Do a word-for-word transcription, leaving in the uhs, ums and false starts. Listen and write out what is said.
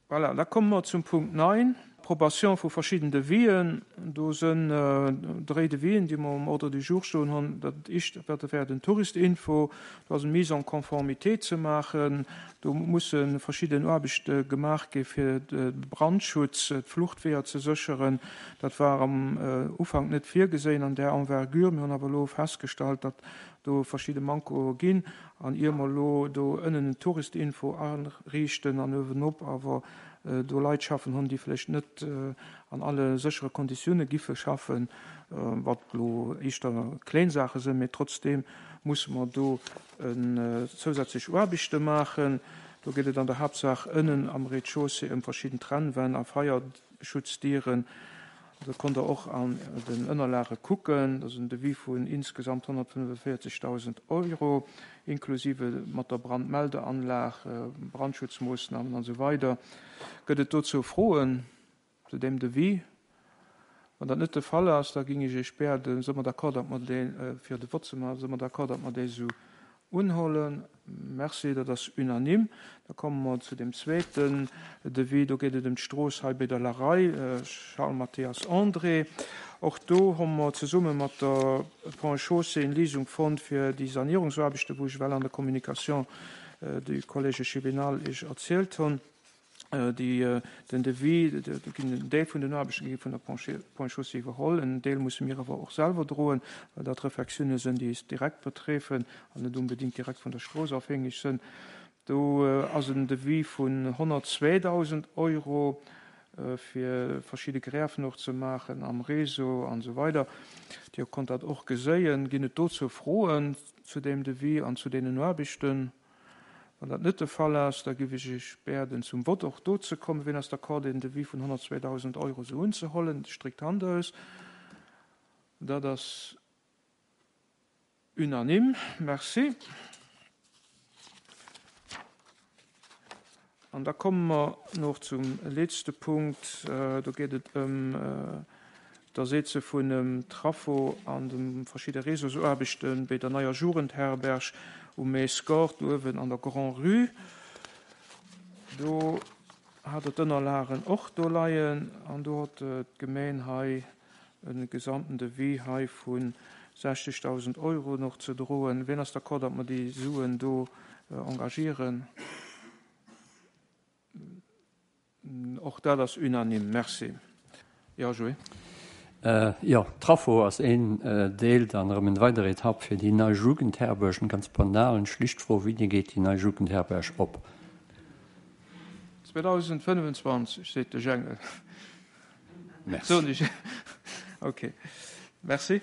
Voilà, da komme mer zum Punkt neun, Approbation vu verschidden Devisen. Do sinn dréi Devisen, déi mer um Ordre du jour stoen hunn. Dat éischt, dat wär den Touristinfo. Do ass eng Mise en conformité ze maachen. Do musse verschidden Aarbechte gemaach gi fir de Brandschutz, d'Fluchtweeër ze sécheren. Dat war am Ufank net virgeséien an där Envergure. Mir hunn awer elo festgestallt, datt do verschidde Mankoe ginn. An ier mer elo do ënnen en Touristinfo ariichten an uewenop awer do Leit schaffen hunn, déi vläicht net an alle séchere Konditioune giffe schaffen, wat elo éischter kléin Saache sinn, mee trotzdeem musse mer do zousätzlech Aarbechte maachen. Do geet et an der Haaptsaach ënnen am Rez-de-chaussée ëm verschidden Trennwänn a Feierschutzdieren. Do konnt Der och an den Ënnerlage kucken. Dat ass en Devis vun insgesamt honnertfënnefenvéierzegdausend Euro, inklusive mat der Brandmeldeanlag, Brandschutzmoossnamen an esou weider. Gëtt et dozou Froen zu deem Devis? Wann dat net de Fall ass, da géing ech Iech bieden, si mer d'accord, datt mer dee, fir de Vott ze maachen, si mer d'accord, datt mer dee esou unhuelen? Merci, dat ass unanime. Da komme mer zu dem zweeten Devis. Do geet et ëm d'Strooss hei bei der Larei, Charles Mathias André. Och do hu mer zesumme mat der Ponts et Chaussées eng Léisung fonnt fir déi Sanierungsaarbechten, wou ech ewell an der Communication de Collège Cheminal Iech erzielt hunn. Déi, den Devis, do ginn en Deel vun den Aarbechte gi vun der Ponts et Chaussées iwwerholl, en Deel musse mir awer och selwer droen, well dat Refectiounen sinn, déi eis direkt betreffen an net unbedéngt direkt vun der Strooss afhängeg sinn. Do ass en Devis vun honnertzweedausend Euro fir verschidde Grèven och ze maachen am Réseau an esou weider. Dir konnt dat och geséien. Ginn et dozou Froen zu deem Devis an zu deenen Aarbechten? Wann dat net de Fall ass, da géif ech Iech bieden, zum Vott och do ze kommen. Wien ass d'accord, deen Devis vun honnertzweedausend Euro esou unzehollen? Stréckt d'Hand aus. Dat ass unanime. Merci. An da komme mer nach zum letzte Punkt. Do geet et ëm d'Ersetze vun em Traffo an de verschidde Réseausaarbechte bei der neier Jugendherberg um Maesgort uewen an der Grand-Rue. Do hat Der d'Ënnerlagen och do leien an do huet d'Gemeng hei e gesamten Devis hei vu sechzegdausend Euro noch ze droen. Wien ass d'accord, datt mer déi Suen do engagieren? Och dat ass unanime. Merci. Jo, Joé. Jo, Traffo ass een Deel, dann erëm en weider Etapp fir déi nei Jugendherberg. Eng ganz banal an schlicht Fro, Wéini geet déi nei Jugendherberg op? zweedausendfënnefenzwanzeg, seet de Jengel. Merci. Soen ech. Okay. Merci.